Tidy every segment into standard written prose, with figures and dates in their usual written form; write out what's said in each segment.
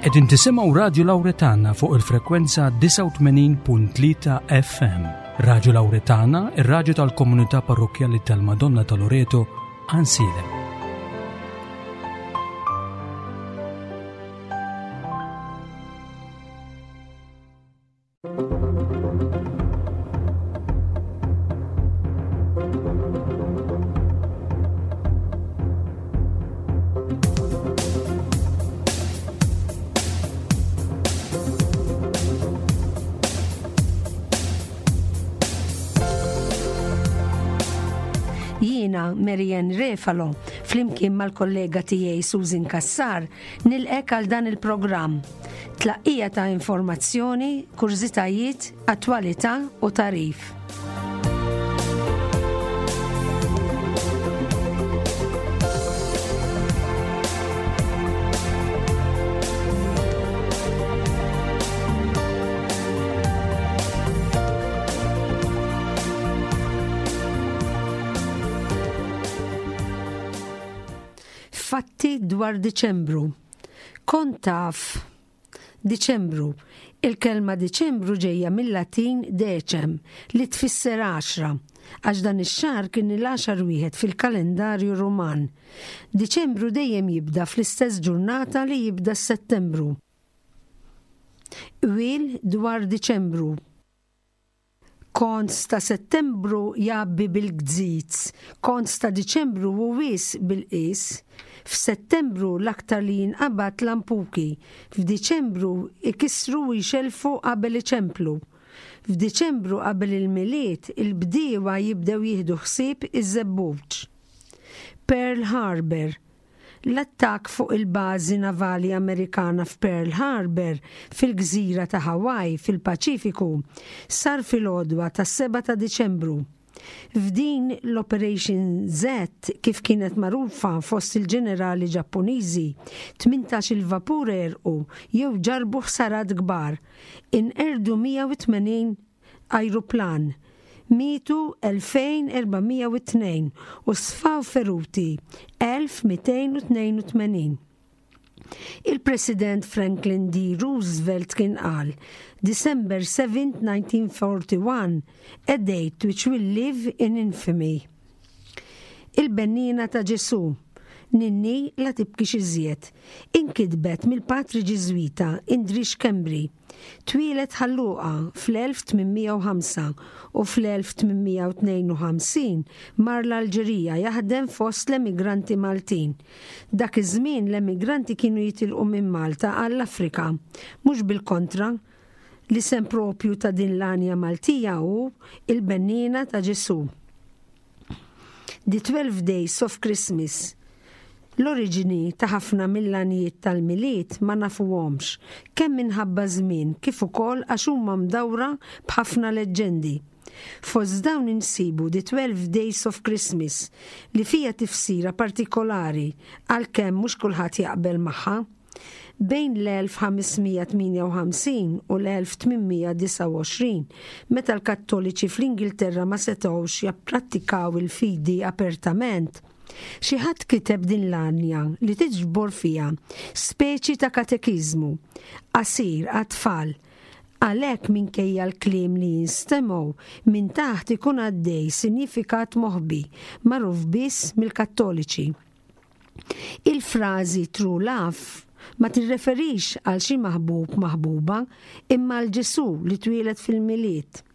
Qegħdin tisimgħu Radju Lawretana fuq il-frekwenza 89.3 FM. Radju Lawretana, ir-radju tal-komunità parrokkjali tal-Madonna ta' Loreto, Ansilem. Jiena Marianne Refalo, flimkien mal-kollega tiegħi Susan Cassar, nilqek għal dan il-programm. Tlaqqija ta' informazzjoni, kurżitajiet, attwalità u tagħrif. Fatti dwar Diċembru. Kont taf Diċembru. Il-kelma Diċembru ġejja mil-Latin decem, li tfisser għaxra, għax dan ix-xahar kien il-għaxar wieħed fil-kalendarju Ruman. Diċembru dejjem jibda fl-istess ġurnata li jibda s-Settembru. Qwiel dwar Diċembru. Kont ta' Settembru jgħabbi bil-gzizz, kont ta' Diċembru hu wisq bil-qies. F'Settembru l-aktar li jinqabad lampuki, f'Diċembru ikissru u jxellfu qabel iċemplu. F'Diċembru qabel il-Milied il-bdiewa jibdew jieħdu ħsieb iż-żebbuġ. Pearl Harbor, L-attakk fuq il-bażi navali Amerikana f'Pearl Harbor, fil-gżira ta' Hawaii, fil-Paċifiku, sar fil-għodwa tas-7 ta' Diċembru. F'din l-Operation Z, kif kienet magħrufa fost il-ġenerali Ġappuniżi, 18-il vapur għerqu jew ġarrbu ħsarat kbar. Inqerdu 180 ajruplan, mietu 2,402 u sfaw feruti 1,282. Il-President Franklin D. Roosevelt kien qal, December 7, 1941, a date which will live in infamy. Il-Benniena ta' Ġesù, Ninni la tibkix iżjed, inkitbet mill-Patri Ġiżwita Indri Schembri. Twieled Ħal Luqa fl-1805 u fl-1852 mar l-Alġerija jaħdem fost l-emigranti Maltin. Dak iż-żmien l-emigranti kienu jitilqu minn Malta għall-Afrika, mhux bil-kontra. L-isem proprju ta' din l-għanja Maltija hu Il-Benniena ta' Ġesù. The 12 Days of Christmas. L-oriġini ta' ħafna mill-għanjiet tal-Milied ma nafuhomx, kemm minħabba ż-żmien kif ukoll għax huma mdawra b'ħafna leġġendi. Fost dawn insibu The 12 Days of Christmas li fiha tifsira partikolari għalkemm mhux kulħadd jaqbel magħha. Bejn l-1558 u l-1829, meta l-Kattoliċi fl-Ingilterra ma setgħux japprattikaw il-fidi apertament, xi ħadd kiteb din l-għanja li tiġbor fiha speċi ta' katekiżmu qasir għat-tfal. Għalhekk minkejja l-kliem li jinstemgħu, minn taħt ikun għaddej sinjifikat moħbi, magħruf biss mill-Kattoliċi. Il-frażi true love ma tirreferix għal xi maħbub maħbuba imma għal Ġesù li twieled fil-Milied.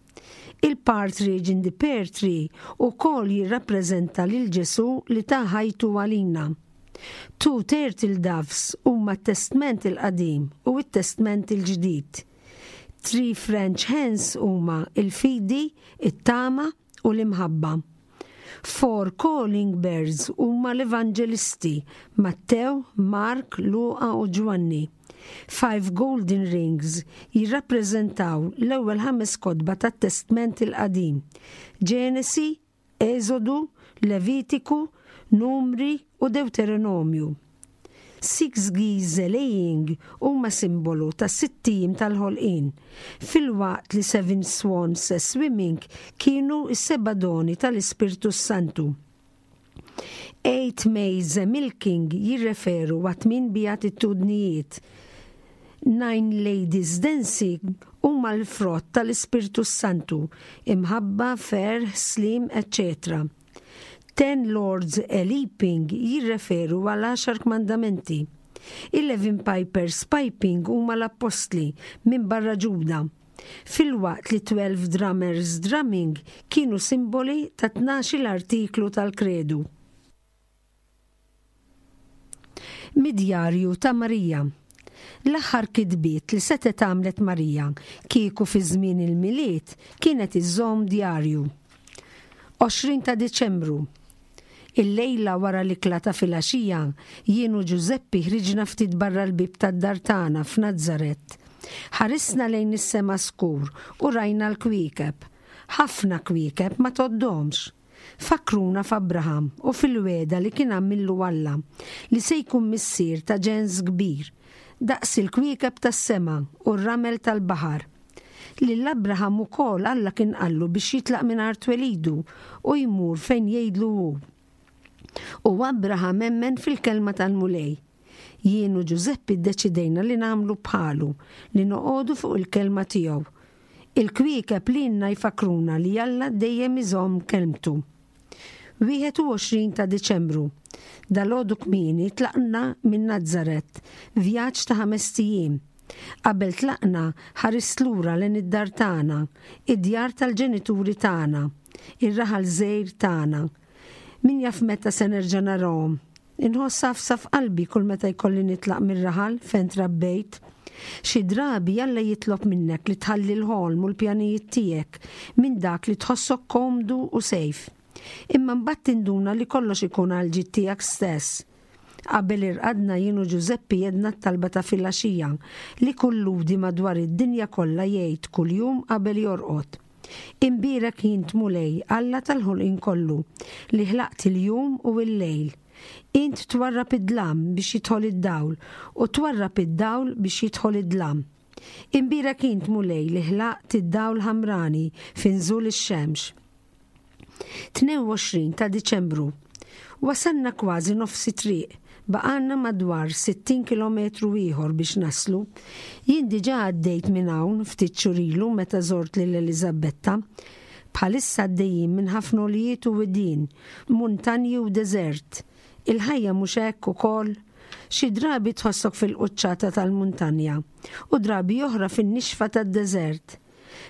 Il-partridge in the pear tree ukoll jirrappreżenta lil Ġesù li ta ħajtu għalina. Two turtle doves huma t-Testment il-Qadim u t-Testment il-Ġdid. Three French hens huma l-fidi, it-tama u l-imħabba. Four calling birds huma l-evanġelisti, Mattew, Mark, Luqa u Ġwanni. Five golden rings jirrappreżentaw l-ewwel ħames kotba tat-Testment il-Qadim, Ġenesi, Eżodu, Levitiku, Numri u Dewteronomju. Six geese laying huma simbolu tas-sitt ijiem tal-ħolqien, filwaqt li seven swans swimming kienu s-seba' doni tal-Ispirtu s-Santu. Eight maids a milking jirreferu għat-tmien beatitudnijiet. Nine Ladies Dancing huma l-frott tal-Ispirtu s-Santu, imħabba, ferħ, sliem, eċċetera Ten Lords a-Leaping jirreferu għal Għaxar Kmandamenti. Eleven Pipers Piping huma l-Appostli, minbarra Ġuda. Filwaqt li 12 Drummers Drumming kienu simboli ta' 12-il artiklu tal-Kredu. Mid-djarju ta' Marija. L-aħħar kitbiet li setgħet għamlet Marija kieku fi żmien il-Milied kienet iżżomm djarju. 20 ta' Diċembru. Illejla wara l-ikla ta' filgħaxija, jien u Ġużeppi ħriġna ftit barra l-bieb tad-dar tagħna f'Nazaret. Ħarisna lejn is-sema skur u rajna l-kwiekeb. Ħafna kwiekeb ma tgħoddhomx. Fakkruna f'Abraham u fil-wegħda li kien għamillu Alla li se jkun missier ta' ġens kbir, daqs il-kwiekeb tas-sema u r-ramel tal-baħar. Lil Abraham ukoll Alla kien qallu biex jitlaq minn art twelidu u jmur fejn jgħidlu hu. U Abraham emmen fil-kelma tal-Mulej. Jien u Ġużeppi ddeċidejna li nagħmlu bħalu, li noqogħdu fuq il-kelma tiegħu. Il-kwiekeb lilna jfakkruna li Alla dejjem iżomm kelmtu. 21 ta' Diċembru. Dalgħodu kmieni tlaqna minn Nazaret, vjaġġ ta' ħamest ijiem. Qabel tlaqna, ħarist lura lejn id-dar tagħna, id-djar tal-ġenituri tagħna, ir-raħal żgħir tagħna. Min jaf meta se nerġa' narahom. Inħoss għafsa f'qalbi kull meta jkolli nitlaq mir-raħal fejn trabbejt. Xi drabi Alla jitlob minnek li tħalli l-ħolm u l-pjanijiet tiegħek minn dak li tħossok komdu u safe. Imma mbagħad tinduna li kollox ikun għall-ġid tiegħek stess. Qabel irqadna jien u Ġużeppi għedna t-talba ta' filgħaxija li kull Lhudi madwar id-dinja kollha jgħid kuljum qabel jorqod. Imbierek int Mulej, Alla tal-ħolqien kollu, li ħlaqt il-jum u l-lejl. Int twarrab id-dlam biex jidħol id-dawl, u twarrab id-dawl biex jidħol id-dlam. Imbierek int Mulej li ħlaqt id-dawl ħamrani fi nżul ix-xemx. 22 ta' Diċembru. Wasalna kważi nofs it-triq. Baqgħalna madwar 60 kilometru ieħor biex naslu. Jien diġà għaddejt minn hawn ftit xhur ilu meta żort lil Eliżabetta. Bħalissa għaddejjin minn ħafna għoljiet u widien, muntanji u deżert. Il-ħajja mhux hekk ukoll? Xi drabi tħossok fil-quċċata tal-muntanja u drabi oħra fin-nixfa tad-deżert.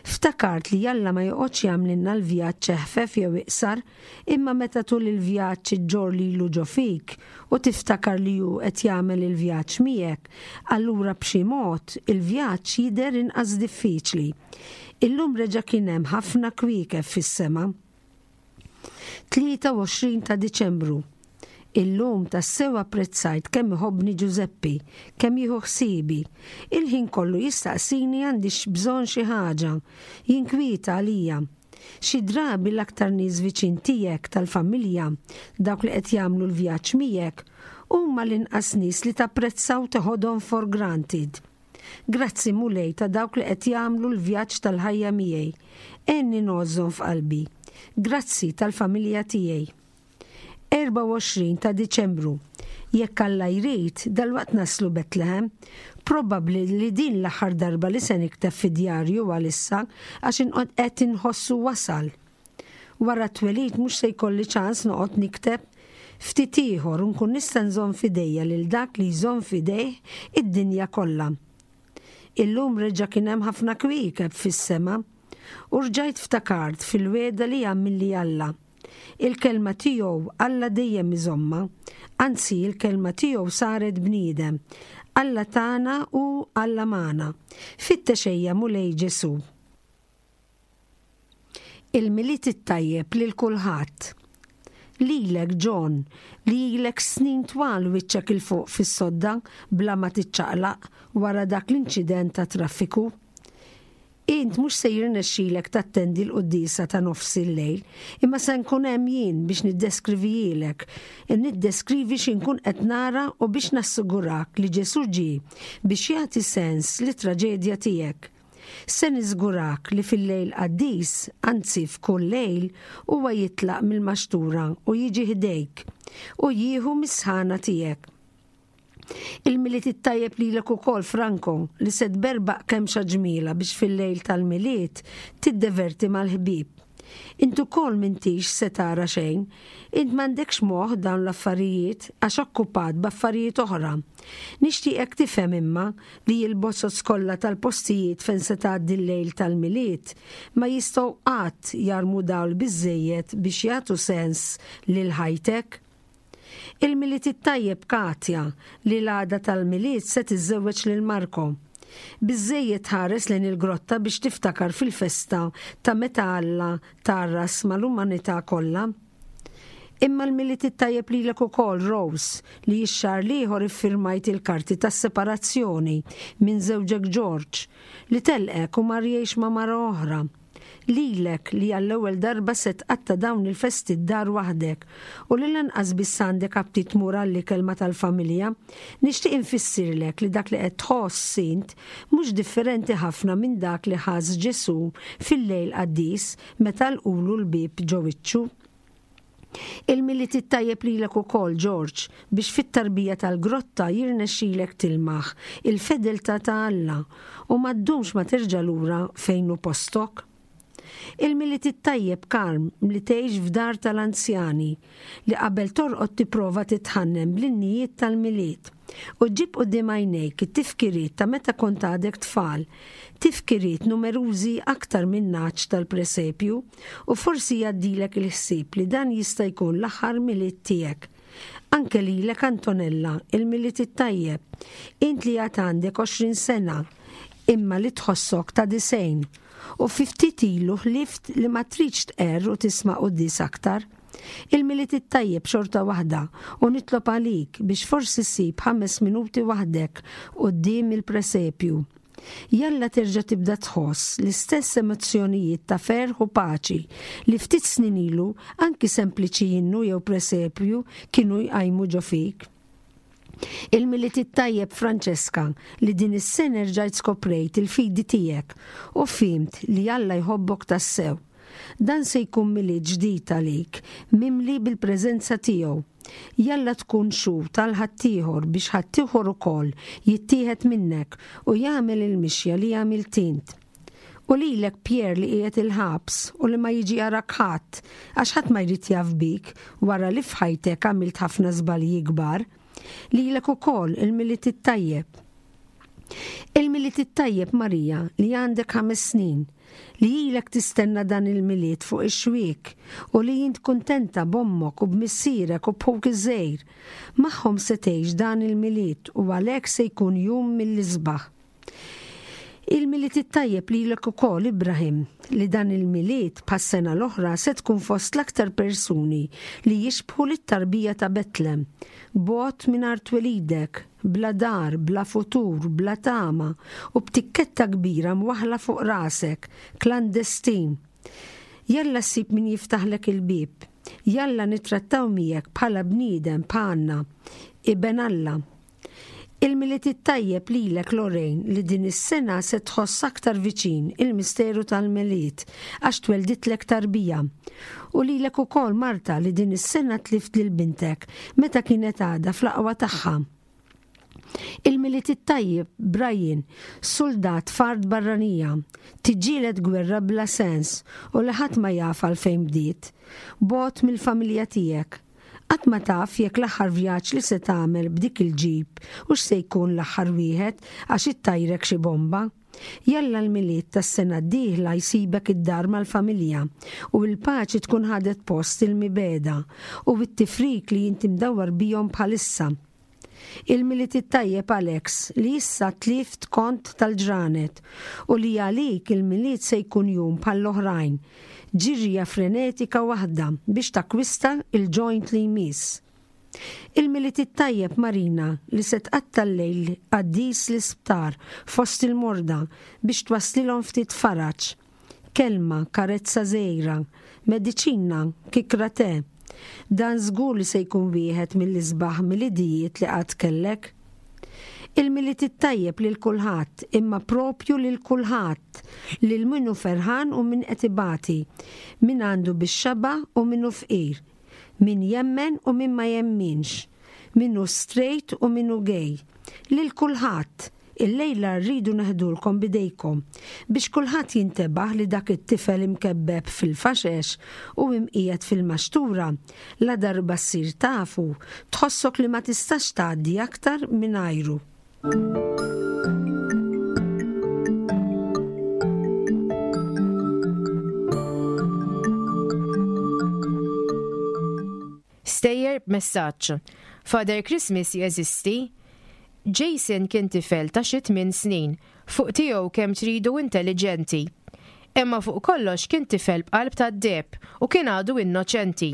Ftakart li Alla ma joqgħodx jagħmlilna l-vjaġġ eħfef jew iqsar, imma meta tul il-vjaġġ iġġorr lilu ġo fik u tiftakar li hu qed jagħmel il-vjaġġ miegħek, allura b'xi mod il-vjaġġ jidher inqas diffiċli. Illum reġa' kien hemm ħafna kwiekeb fis-sema. 23 ta' Diċembru. Illum tassew apprezzajt kemm iħobbni Ġużeppi, kemm jieħu ħsiebi. Il-ħin kollu jistaqsini għandix bżonn xi ħaġa, jinkwieta għalija. Xi drabi l-aktar nies viċin tiegħek tal-familja, dawk li qed jagħmlu l-vjaġġ miegħek, huma l-inqas nies li tapprezza u teħodhom for granted. Grazzi Mulej ta' dawk li qed jagħmlu l-vjaġġ tal-ħajja miegħi. Għenni ngħożżhom f'qalbi. Grazzi tal-familja tiegħi. 24 ta' Diċembru. Jekk Alla jrid, dalwaqt naslu Betlehem. Probabbli li din l-aħħar darba li se nikteb fi djarju għalissa għax inqod qed inħossu wasal. Wara t-twelid mhux se jkolli ċans noqgħod nikteb. Ftit ieħor u nkun nista' nżomm f'idejja lil dak li jżomm f'idejh id-dinja kollha. Illum reġa' kien hemm ħafna kwiekeb fis-sema. U rġajt ftakart fil-wegħda li għamilli Alla. Il-kelma tiegħu Alla dejjem iżommha. Anzi, il-kelma tiegħu saret bniedem. Alla tagħna u Alla magħna. Fittex ejja Mulej Ġesù. Il-Milied it-tajjeb lil kulħadd. Lilek, John, li ilek snin twal wiċċek 'il fuq fis-sodda bla ma tiċċaqlaq wara dak l-inċident tat-traffiku. Int mhux se jirnexxilek tattendi l-quddiesa ta' nofs il-lejl, imma se nkun hemm jien biex niddeskrivihielek, niddeskrivi xi nkun qed nara u biex nassigurak li Ġesù ġie biex jagħti sens lit-traġedja tiegħek. Se niżgurak li fil-lejl qaddis, anzi f'kull lejl, huwa jitlaq mill-maxtura u jiġi ħdejk, u jieħu mis-sħana tiegħek. Il-Milied it-tajjeb lilek ukoll Franco li se tberbaq kemxa ġmielha biex fil-lejl tal-Milied tiddeverti mal-ħbieb. Int ukoll m'intix se tara xejn. Int m'għandekx moħħ dawn l-affarijiet għax okkupat b'affarijiet oħra. Nixtieqek tifhem imma li l-bozoz kollha tal-postijiet fejn se tgħaddi l-lejl tal-Milied ma jistgħu qatt jarmu dawl biżżejjed biex jagħtu sens lil ħajtek. Il-Milied it-tajjeb Katja, li l-għada tal-Milied se tiżżewweġ lil Marco. Biżżejjed tħares lejn il-grotta biex tiftakar fil-festa ta' meta Alla tgħarras mal-umanità kollha. Imma l-Milied it-tajjeb lilek ukoll, Rose, li x-xahar l-ieħor iffirmajt il-karti tas-separazzjoni minn żewġek George, li telqek u mar jgħix ma' mara oħra. Lilek li għall-ewwel darba se tqatta' dawn il-festi d-dar waħdek u li lanqas biss għandek aptit tmur għall-ikel ma' tal-familja, nixtieq infissirlek li dak li qed tħoss int mhux differenti ħafna minn dak li ħass Ġesù fil-lejl qaddis meta għalqulu l-bieb ġo wiċċu. Il-Milied it-tajjeb lilek ukoll, George, biex fit-tarbija tal-grotta jirnexxilek tilmaħ il-fedeltà ta' Alla u ma ddumx ma terġa' lura fejn hu postok. Il-Milied it-tajjeb, Carm, li tgħix f'dar tal-anzjani, li qabel torqod tipprova titħannen bl-innijiet tal-Milied u ġġib quddiem għajnejk it-tifkiriet ta' meta kont għadek tfal, tifkiriet numerużi aktar min-nagħaġ tal-presepju. U forsi jgħaddilek il-ħsieb li dan jista' jkun l-aħħar Milied tiegħek. Anke lilek Antonella, il-Milied it-tajjeb. Int li għad għandek 20 sena, imma li tħossok ta' 90. U fi ftit ilu ħlift li ma tridx tqerr u tisma' quddies aktar. Il-Milied it-tajjeb xorta waħda u nitlob għalik biex forsi ssib ħames minuti waħdek quddiem il-presepju. Jalla terġa' tibda tħoss l-istess emozzjonijiet ta' ferħ u paċi li ftit snin ilu anki sempliċi innu jew presepju kienu jqajmu ġo fik. Il-Milied it-tajjeb Francesca li din is-sena erġajt skoprejt il-fidi tiegħek u fhimt li Alla jħobbok tassew. Dan se jkun Milied ġdid għalik, mimli bil-preżenza tiegħu. Jalla tkun xhud għal ħaddieħor biex ħaddieħor ukoll jittieħed minnek u jagħmel il-mixja li għamilt int. U lilek Pierre li qiegħed il-ħabs u li ma jiġi jarak ħadd għax ħadd ma jrid jaf bik wara li f'ħajtek għamilt ħafna żbalji kbar. Lilek ukoll il-Milied it-tajjeb. Il-Milied it-tajjeb Marija li għandek ħames snin, li ilek tistenna dan il-Milied fuq ix-xwiek u li int kuntenta b'ommok u b'missierek u b'ħuk iż-żgħir. Magħhom se tgħix dan il-Milied u għalhekk se jkun jum mill-isbaħ. Il-Milied it-tajjeb lilek ukoll Ibrahim, li dan il-Milied bħas-sena l-oħra se tkun fost l-aktar persuni li jixbħu lit-tarbija ta' Betlem, bogħod minn art twelidek, bla dar, bla futur, bla tama u b'tikketta kbira mwaħħla fuq rasek, klandestin. Jalla ssib min jiftaħlek il-bieb. Jalla nittrattaw miegħek bħala bniedem bħalna, iben Alla. Il-Milied it-tajjeb lilek Lorraine li din is-sena se tħoss aktar viċin il-misteru tal-Milied għax twelditlek tarbija. U lilek ukoll Marta li din is-sena tlift lil bintek meta kienet għadha fl-aqwa tagħha. Il-Milied it-tajjeb Brian, suldat f'art barranija, tiġġieled gwerra bla sens u li ħadd ma jaf għalfejn bdiet. Bogħod mill-familja tiegħek. Qatt ma taf jekk l-aħħar vjaġġ li se tagħmel b'dik il-ġip hux se jkun l-aħħar wieħed għax ittajrek xi bomba. Jalla l-Milied tas-sena d-dieħla jsibek id-dar mal-familja u l-paċi tkun ħadet post il-mibegħda u t-tifrik li inti mdawwar bihom bħalissa. Il-Milied it-tajjeb Alex li issa tlift kont tal-ġranet u li għalik il-Milied se jkun jum bħall-oħrajn, ġirja frenetika waħda biex takkwista il-joint li jmiss. Il-Milied it-tajjeb Marina li se tqatta' l-lejl qaddis l-isptar fost il-morda biex twasslilhom ftit faraġ. Kelma, karezza żgħira, mediċina, kikra te. Dan żgur li se jkun wieħed mill-isbaħ Milidijiet li qatt kellek. Il-Milied it-tajjeb lil kulħadd, imma propju lil kulħadd, lil min hu ferħan u min qed ibati, min għandu bix-xaba' u min hu fqir, min jemmen u min ma jemminx. Min hu straight u min hu gay. Lil kulħadd. Illejla rridu neħdulkom b'idejkom biex kulħadd jintebaħ li dak it-tifel imkebbeb fil-faxex u imqiegħed fil-maxtura, ladarba ssir tafu, tħossok li ma tistax tgħaddi aktar mingħajru. Stejjer b'messaġġ. Father Christmas jeżisti? Jason kien tifel ta' xi tminn snin, fuq tiegħu kemm tridu intelliġenti. Imma fuq kollox kien tifel b'qalb tad-deheb u kien għadu innoċenti.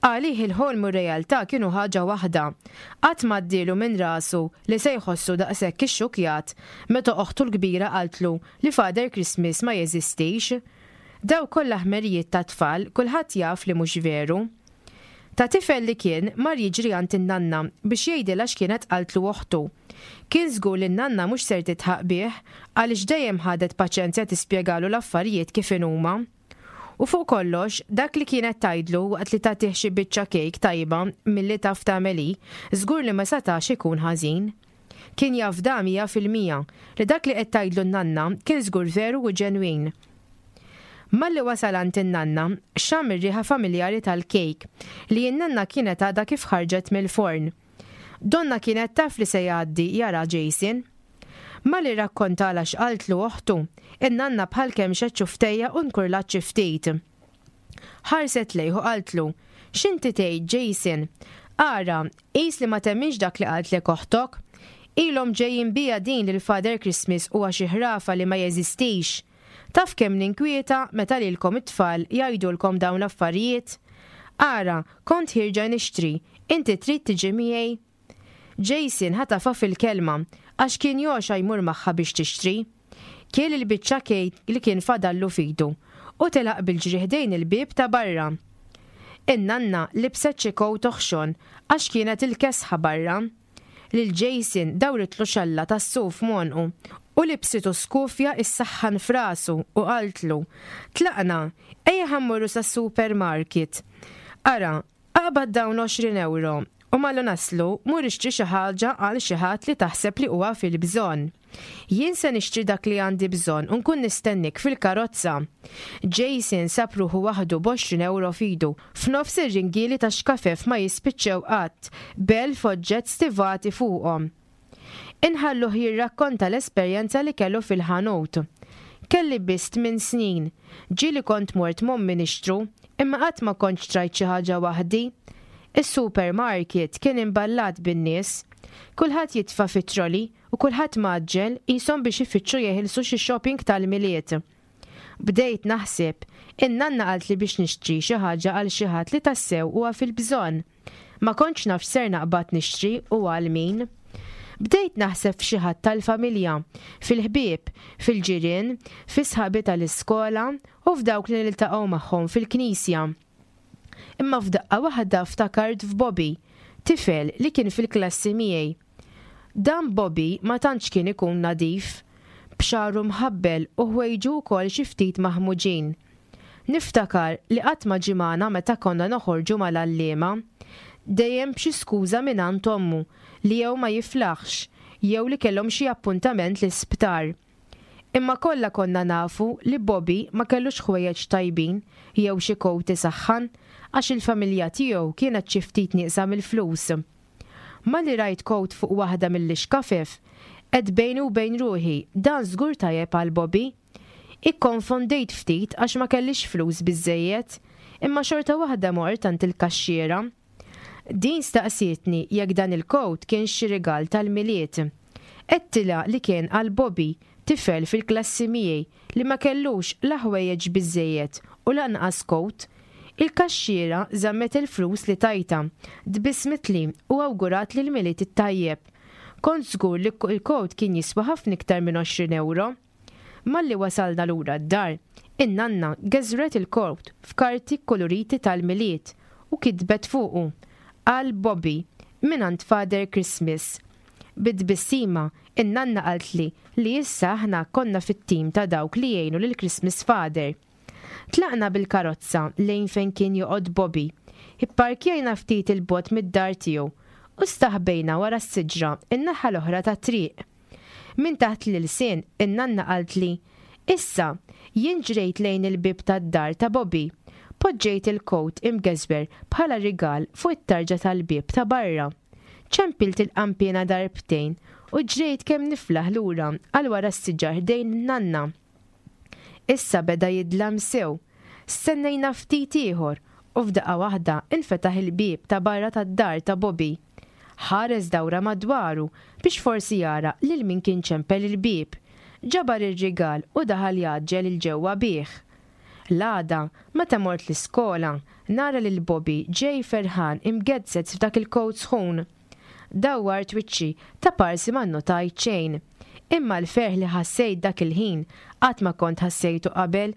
Għalih il-ħolm u r-realtà kienu ħaġa waħda. Qatt m'għaddielu minn rasu li se jħossu daqshekk ixxukkjat meta oħtu l-kbira qaltlu li Father Christmas ma jeżistix. Dawk kollha ħmerijiet tat-tfal kulħadd jaf li mhux veru. Ta' tifel li kien, mar jiġri għand in-nanna biex jgħidilha x'kienet qaltlu oħtu. Kien żgur li n-nanna mhux ser tidħaq bih għaliex dejjem ħadet paċenzja tispjegalu l-affarijiet kif inhuma. U fuq kollox, dak li kienet tgħidlu waqt li tagħtih xi biċċa kejk tajba milli taf tagħmel hi, żgur li ma setax ikun ħażin. Kien jafda 100% li dak li qed tgħidlu n-nanna kien żgur veru u ġenwin. Malli wasal għand in-nanna, xamm ir-riħa familjari tal-kejk, li n-nanna kienet għadha kif ħarġet mill-forn. Donnha kienet taf li se jgħaddi jara Jason. Malli rrakkontalha x'qaltlu oħtu, in-nanna bħal kemxet xufftejha u nkurlat xi ftit. Ħarset lejh u qaltlu, X'inti tgħid, Jason? Ara, qis li ma temminx dak li qaltlek oħtok. Ilhom ġejjin biha din li l-Father Christmas huwa xi ħrafa li ma jeżistix. Taf kemm ninkwieta meta lilkom it-tfal jgħidulkom dawn l-affarijiet? Ara, kont ħierġa nixtri, inti trid tiġi miegħi? Jason ħatafha fil-kelma għax kien jogħxa jmur magħha biex tixtri. Kiel il-biċċa kejk li kien fadallu f'idu u telaq bil-ġri ħdejn il-bieb ta' barra. In-nanna libset xi kowt oħxon għax kienet il-kesħa barra. Lil Jason dawritlu xalla tas-suf m'għonqu u libsitu skufja issaħħan f'rasu u qaltlu, Tlaqna, ejja ħa mmorru sas-supermarket. Ara, Aqbad dawn 20 ewro u malli naslu mur ixtri xi ħaġa għal xi ħadd li taħseb li huwa fil-bżonn. Jien se nixtri dak li għandi bżonn u nkun nistennik fil-karozza. Jason sab ruħu waħdu b'għoxrin ewro f'idu, f'nofs ir-ringieli ta' xkafef ma jispiċċew qatt, b'elf oġġett stivati fuqhom. Inħalluh jirrakkonta l-esperjenza li kellu fil-ħanut. Kelli biss tminn snin. Ġieli kont mort m'ommi nixtru, imma qatt ma kont xtrajt xi ħaġa waħdi. Is-supermarket kien imballat bin-nies. Kulħadd jitfa' fit-trolley u kulħadd mgħaġġel qishom biex ifittxu jeħilsu xi shopping tal-Milied. Bdejt naħseb, in-nanna qaltli biex nixtri xi ħaġa għal xi ħadd li tassew huwa fil-bżonn. Ma kontx naf x'ser naqbad nixtri u għal min. Bdejt naħseb f'xi ħadd tal-familja, fil-ħbieb, fil-ġirien, fi sħabi tal-iskola u f'dawk li niltaqgħu magħhom fil-knisja. Imma f'daqqa waħda ftakart f'Bobby, tifel li kien fil-klassi miegħi. Dan Bobby ma tantx kien ikun nadif, b'xagħru mħabbel u ħwejġu wkoll xi ftit maħmuġin. Niftakar li qatt ma ġie magħna meta konna noħorġu mal-għalliema. Dejjem b'xi skuża mingħand ommu li jew ma jiflaħx jew li kellhom xi appuntament l-isptar. Imma kollha konna nafu li Bobby ma kellux ħwejjeġ tajbin jew xi kowt isaħħan għax il-familja tiegħu kienet xi ftit nieqsa mill-flus. Malli rajt kowt fuq waħda mill-ixkafef, għedt bejni u bejn ruħi, dan żgur tajjeb għal Bobby. Ikkonfondejt ftit għax ma kellix flus biżżejjed, imma xorta waħda mort għand il-kaxxiera. Din staqsietni jekk dan il-kowt kienx xi rigal tal-Milied. Għedtilha li kien għal Bobby, tifel fil-klassi miegħi li ma kellux la ħwejjeġ biżżejjed u lanqas kowt. Il-kaxxiera żammet il-flus li tajtha, tbissmitli u awguratli l-Milied it-tajjeb. Kont żgur li l-kowt kien jiswa ħafna iktar minn 20 ewro. Malli wasalna lura d-dar, in-nanna geżwret il-kowt f'karti kkuluriti tal-Milied u kitbet fuqu, Għal Bobby, mingħand Father Christmas. Bi tbissima, in-nanna qaltli li issa aħna konna fit-tim ta' dawk li jgħinu lill-Christmas Father. Tlaqna bil-karozza lejn fejn kien joqgħod Bobby. Ipparkjajna ftit 'il bogħod mid-dar tiegħu. u staħbejna wara s-siġra n-naħa l-oħra tat-triq. Minn taħt l-ilsien in-nanna qaltli, Issa, jien ġrejt lejn il-bieb tad-dar ta' Bobby. Poġġejt il-kowt imgeżwer bħala rigal fuq it-tarġa tal-bieb ta' barra. Ċempilt il-qanpiena darbtejn u ġrejt kemm niflaħ lura għal wara s-siġar ħdejn in-nanna. Issa beda jidlam sew. Stennejna ftit ieħor u f'daqqa waħda nfetaħ il-bieb ta' barra tad-dar ta' Bobby. Ħares dawra madwaru biex forsi jara lil min kien ċempel il-bieb. Ġabar ir-rigal u daħal jgħaġġel 'il ġewwa bih. L-għada, meta mort l-iskola, nara lil Bobby ġej ferħan imgezzez f'dak il-kowt sħun. Dawwart wiċċi ta' parsi ma nnotajt xejn. Imma l-ferħ li ħassejt dak il-ħin qatt ma kont ħassejtu qabel.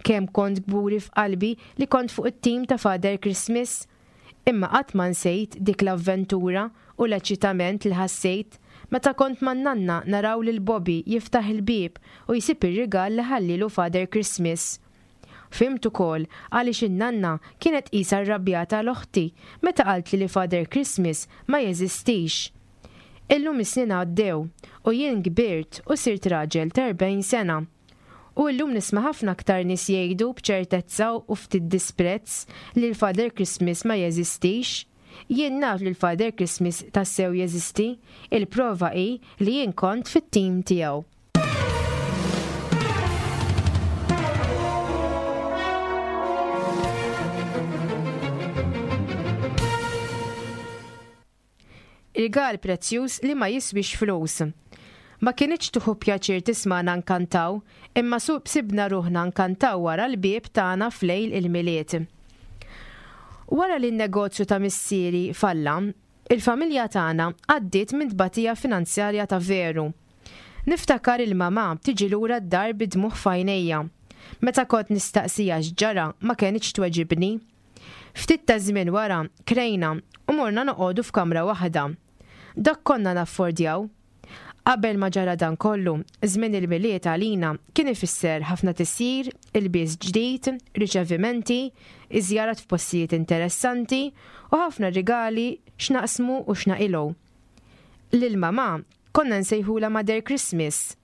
Kemm kont kburi f'qalbi li kont fuq it-tim ta' Father Christmas! Imma qatt ma nsejt dik l-avventura u l-eċitament li ħassejt meta kont man-nanna naraw lil Bobby jiftaħ il-bieb u jsib ir-rigal li ħallielu Father Christmas. Fhimt ukoll għaliex in-nanna kienet qisha rrabjata għal oħti meta qaltli li Father Christmas ma jeżistix. Illum is-snin għaddew u jien kbirt u sirt raġel ta' 40 sena. U illum nisma' ħafna aktar nies jgħidu b'ċertezza u ftit disprezz li l-Father Christmas ma jeżistix. Jien naf li l-Father Christmas tassew jeżisti, il-prova hi li jien kont fit-tim tiegħu. Rigal prezzjuż li ma jiswiex flus. Ma kinitx tieħu pjaċir tismagħna nkantaw, imma sibna ruħna nkantaw wara l-bieb tagħna f'lejl il-Milied. Wara li n-negozju ta' missieri falla, il-familja tagħna għaddiet minn tbatija finanzjarja ta' veru. Niftakar il-mamà tiġi lura d-dar bid-dmugħ f'għajnejha. Meta kont nistaqsiha x'ġara ma kenitx tweġibni. Ftit taż-żmien wara krejna u morna noqogħdu f'kamra waħda. Dak konna naffordjaw. Qabel ma ġara dan kollu, żmien il-Milied għalina kien ifisser ħafna tisjir, ilbies ġdid, riċevimenti, iżjarat f'postijiet interessanti u ħafna rigali x'naqsmu u x'naqilgħu. Lil mamà konna nsejħulha Mother Christmas.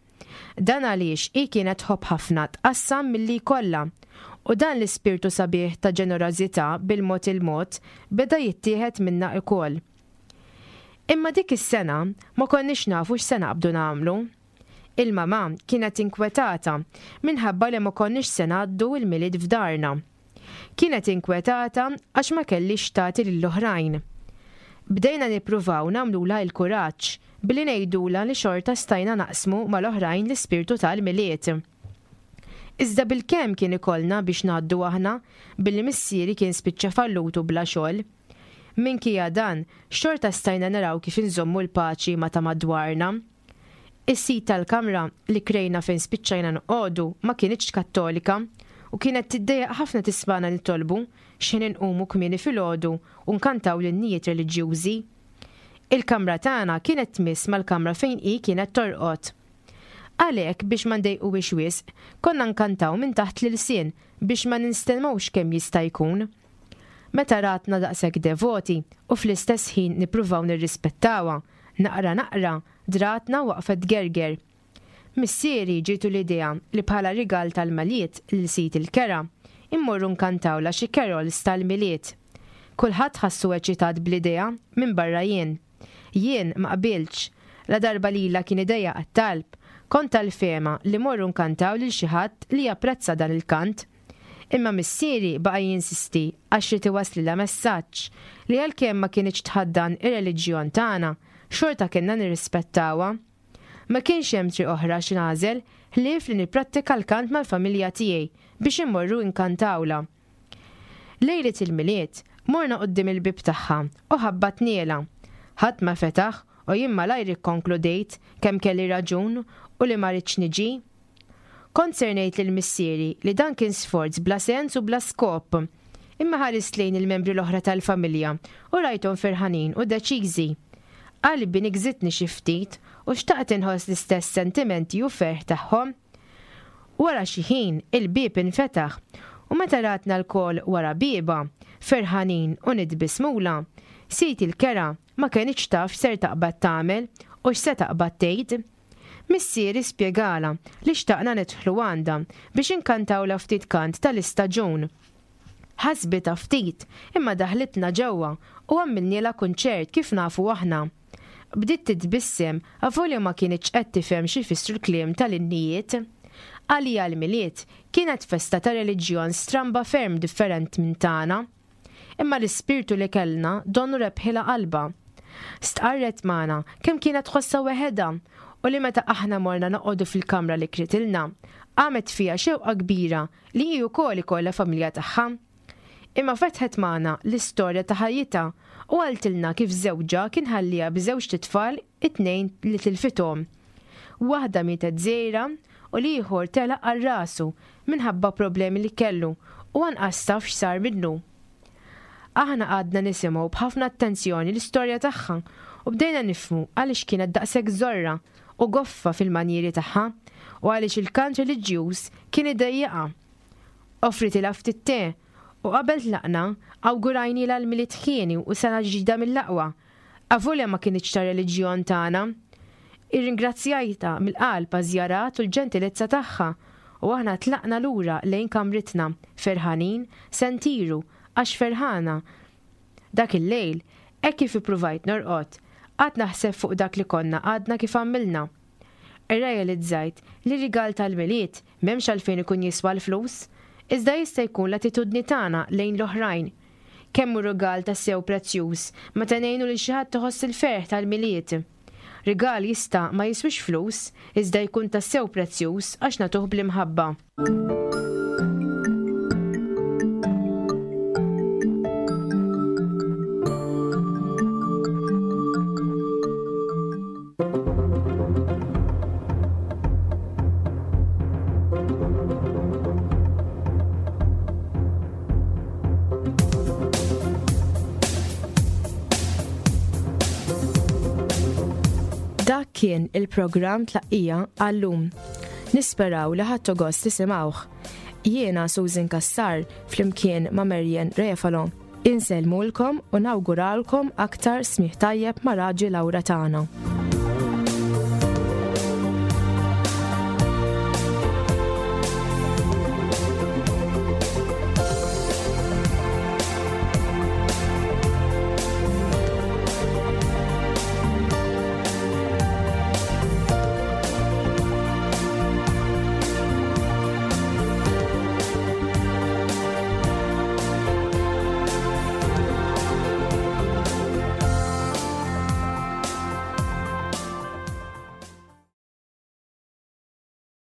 Dan għaliex hi kienet tħobb ħafna tqassam milli jkollha, u dan l-ispirtu sabiħ ta' ġenerożità bil-mod il-mod beda jittieħed minna lkoll. Imma dik is-sena ma konniex nafu x'se naqbdu nagħmlu. Il-mamà kienet inkwetata minħabba li ma konniex se ngħaddu l-Milied f'darna. Kienet inkwetata għax ma kellhiex x'tagħti lill-oħrajn. Bdejna nippruvaw nagħmlulha l-kuraġġ billi ngħidulha li xorta stajna naqsmu mal-oħrajn l-ispirtu tal-Milied. Iżda bilkemm kien ikollna biex ngħaddu aħna billi missieri kien spiċċa fallut u bla xogħol. Minkejja dan, xorta stajna naraw kif inżommu l-paċi ma' ta' madwarna. Is-sid tal-kamra li krejna fejn spiċċajna noqogħdu ma kinitx Kattolika u kienet tiddejjaq ħafna tismagħna nitolbu x'ħin inqumu kmieni filgħodu u nkantaw l-innijiet reliġjużi. Il-kamra tagħna kienet tmiss mal-kamra fejn hi kienet torqod. Għalhekk biex ma ndejquhiex wisq, konna nkantaw minn taħt l-ilsien biex ma ninstemgħux kemm jista' jkun. Meta ratna daqshekk devoti u fl-istess ħin nippruvaw nirrispettawha, naqra naqra dratna waqfet tgerger. Missieri ġietu l-idea li bħala rigal tal-Milied lil sid il-kera, immorru nkantawlha xi carols tal-Milied. Kulħadd ħassu eċitat bl-idea minbarra jien. Jien ma qbiltx. Ladarba lilha kien idejjaqha t-talb, kont tal-fehma li mmorru nkantaw lil xi ħadd li japprezza dan il-kant. Imma missieri baqa' jinsisti għax ried iwasslilha messaġġ li għalkemm ma kinitx tħaddan ir-reliġjon tagħna, xorta kellna nirrispettawha. Ma kienx hemm triq oħra x'nagħżel ħlief li nipprattika l-kant mal-familja tiegħi biex immorru nkantawlha. Lejliet il-Milied, morna quddiem il-bieb tagħha u ħabbatnielha. Ħadd ma fetaħ u jien malajr ikkonkludejt kemm kelli raġun u li ma ridtx niġi. Kont ser ngħid lil missieri li dan kien sforz bla sens u bla skop. Imma ħarist lejn il-membri l-oħra tal-familja u rajthom ferħanin u deċiżi. Qalbi nigżitni xi ftit u xtaqt inħoss l-istess sentimenti u ferħ tagħhom. Wara xi ħin, il-bieb infetaħ u meta ratna lkoll wara biebha, ferħanin u nitbissmulha, sid il-kera. Ma kenitx taf x'ser taqbad tagħmel u x'se taqbad tgħid. Missieri spjegalha li xtaqna nidħlu għandha biex inkantawlha ftit kant tal-istaġun. Ħasbitha ftit imma daħlitna ġewwa u għamilnielha kunċert kif nafu aħna. Bdiet titbissem avolja ma kinitx qed tifhem x'ifissru l-kliem tal-innijiet. Għaliha l-Milied kienet festa ta' reliġjon stramba ferm different minn tagħna. Imma l-ispirtu li kellna donnu rebħilha qalbha. Stqarret magħna kemm kienet tħossha weħedha u li meta aħna morna noqogħdu fil-kamra li kritilna, qamet fiha xewqa kbira li hi wkoll ikollha familja tagħha. Imma fetħet magħna l-istorja ta' ħajjitha u qaltilna kif żewġha kien ħalliha b'żewġt itfal it-tnejn li tilfithom. Waħda mietet żgħira u l-ieħor telaq għal rasu minħabba problemi li kellu u anqas taf x'sar minnu. Aħna qgħadna nisimgħu b'ħafna attenzjoni l-istorja tagħha u bdejna nifhmu għaliex kienet daqshekk żorra u goffa fil-manjieri tagħha u għaliex il-kant reliġjuż kien idejjaqha. Offritilha ftit te u qabel tlaqna awgurajnielha l-Milied ħieni u sena ġdida mill-aqwa Avolja ma kinitx tar-reliġjon tagħna. Irringrazzjajtha mill-qalb għaż-żjarat u l-ġentilezza tagħha, u aħna tlaqna lura lejn kamritna, ferħanin, se ntiru, għax ferħana. Dak il-lejl, hekk kif ippruvajt norqod, qgħadt naħseb fuq dak li konna għadna kif għamilna. Irrealizzajt li rigal tal-Milied m'hemmx għalfejn ikun jiswa l-flus, iżda jista' jkun l-attitudni tagħna lejn l-oħrajn. Kemm hu rigal tassew prezzjuż meta ngħinu lil xi ħadd iħoss il-ferħ tal-Milied! Rigal jista' ma jiswiex flus, iżda jkun tassew prezzjuż għax nagħtuh bl-imħabba. Dak kien il-programm tlaqqija għallum. Nisperaw li ħadtu gost tisimgħuh. Jiena Susan Cassar flimkien ma' Marian Refalo. Insellmulkom u nawguralkom aktar smigħ tajjeb ma' Raġi Laura tagħna.